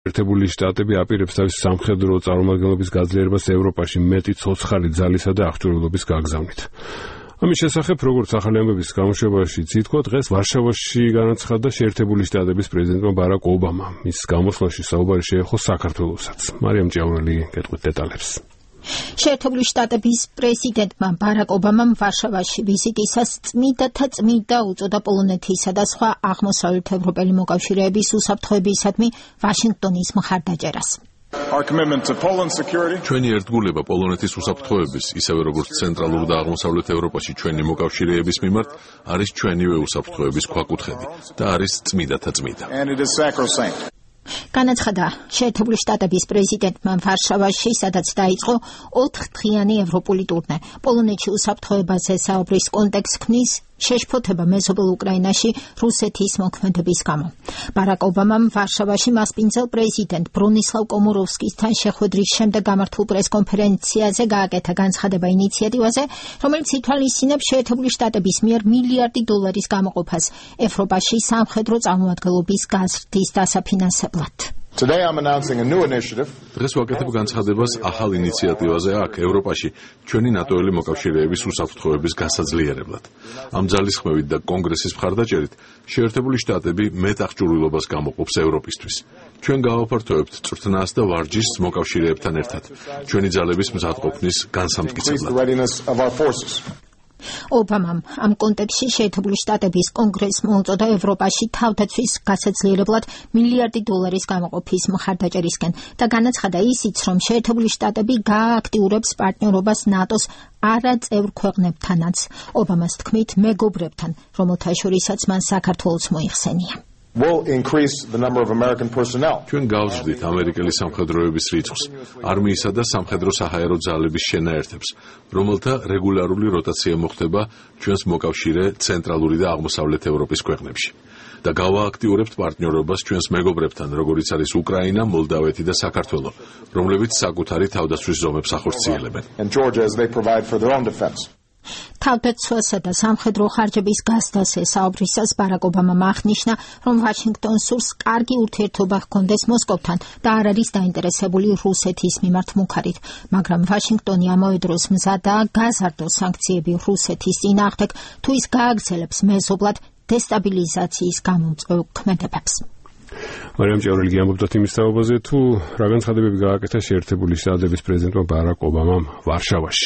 ერთებული შტატები აპირებს თავის სამხედრო წარმომადგენლობის გაძლიერებას ევროპაში მეტი ცოცხალი ძალისა და აღჭურვილობის გაგზავნით. ამის შესახებ, როგორც ახალი ამბების გამოშვებაში ითქვა, დღეს ვარშავაში განაცხადა შეერთებული შტატების პრეზიდენტმა ბარაკ ობამა. მის გამოსვლაში საუბარი შეეხო საქართველოსაც. მარიამ ჭიაურელი გეტყვით დეტალებს. შეერთებული შტატების პრეზიდენტმა ბარაკ ობამამ ვარშავაში ვიზიტისას წმიდა უწოდა პოლონეთისა და სხვა აღმოსავლეთ ევროპელი მოკავშირეების უსაფრთხოებისადმი ვაშინგტონის მხარდაჭერას. ჩვენი ერთგულება პოლონეთის უსაფრთხოების, ისევე როგორც ცენტრალურ და აღმოსავლეთ ევროპაში ჩვენი მოკავშირეების მიმართ, არის ჩვენივე უსაფრთხოების ქვაკუთხედი და არის წმიდათა წმიდა. განაცხადა შეერთებული შტატების პრეზიდენტმა ვარშავაში, სადაც დაიწყო 4-დღიანი ევროპული ტურნე. პოლონეთში უსაფრთხოებაზე საუბრის კონტექსტს ქმნის შეშფოთება მეზობელ უკრაინაში რუსეთის მოქმედების გამო. ბარაკ ობამამ ვარშავაში მასპინძელ პრეზიდენტ ბრონისლავ კომოროვსკისთან შეხვედრის შემდეგ გამართულ პრესკონფერენციაზე გააკეთა განცხადება ინიციატივაზე, რომელიც ითვალისწინებს შეერთებული შტატების მიერ $1 მილიარდი გამოყოფას ევროპაში სამხედრო წარმომადგენლობის გაზრდის დასაფინანსებლად. დღეს ვაკეთებ განცხადებას ახალ ინიციატივაზე აქ ევროპაში ჩვენი ნატოელი მოკავშირეების უსაფრთხოების გასაძლიერებლად. ამ ძალისხმევით და კონგრესის მხარდაჭერით შეერთებული შტატები მეტ აღჭურვილობას გამოყოფს ევროპისთვის. ჩვენ გავაფართოვებთ წვრთნას და ვარჯიშს მოკავშირეებთან ერთად, ჩვენი ძალების მზადყოფნის განსამტკიცებლად. ობამამ ამ კონტექსტში შეერთებული შტატების კონგრესს მოუწოდა ევროპაში თავდაცვის გასაძლიერებლად $1 მილიარდი გამოყოფის მხარდაჭერისკენ და განაცხადა ისიც, რომ შეერთებული შტატები გაააქტიურებს პარტნიორობას ნატოს არაწევრ ქვეყნებთანაც. ობამას თქმით, მეგობრებთან, რომელთა შორისაც მან საქართველოს მოიხსენია. ჩვენ გავზრდით ამერიკელი სამხედროების რიცხვს, არმიისა და სამხედრო საჰაერო ძალების შენაერთებს, რომელთა რეგულარული როტაცია მოხდება ჩვენს მოკავშირე ცენტრალური და აღმოსავლეთ ევროპის ქვეყნებში. და გავააქტიურებთ პარტნიორობას ჩვენს მეგობრებთან, როგორიც არის უკრაინა, მოლდავეთი და საქართველო, რომლებიც საკუთარი თავდაცვის ზომებს ახორციელებენ. თავდაცვასა და სამხედრო ხარჯების გასდასე საუბრისას ბარაკ ობამამ აღნიშნა, რომ ვაშინგტონს სურს კარგი ურთიერთობა ჰქონდეს მოსკოვთან და არ არის დაინტერესებული რუსეთის მიმართ მუქარით, მაგრამ ვაშინგტონი ამავე დროს მზადაა გაზარდოს სანქციები რუსეთის წინააღმდეგ, თუ ის გააგრძელებს მეზობლად დესტაბილიზაციის გამომწვევ ქმედებებს. მარიამ ჭიაურელი ამბობდათ იმის თაობაზე, თუ რა განცხადებები გააკეთა შეერთებული შტატების პრეზიდენტმა ბარაკ ობამამ ვარშავაში.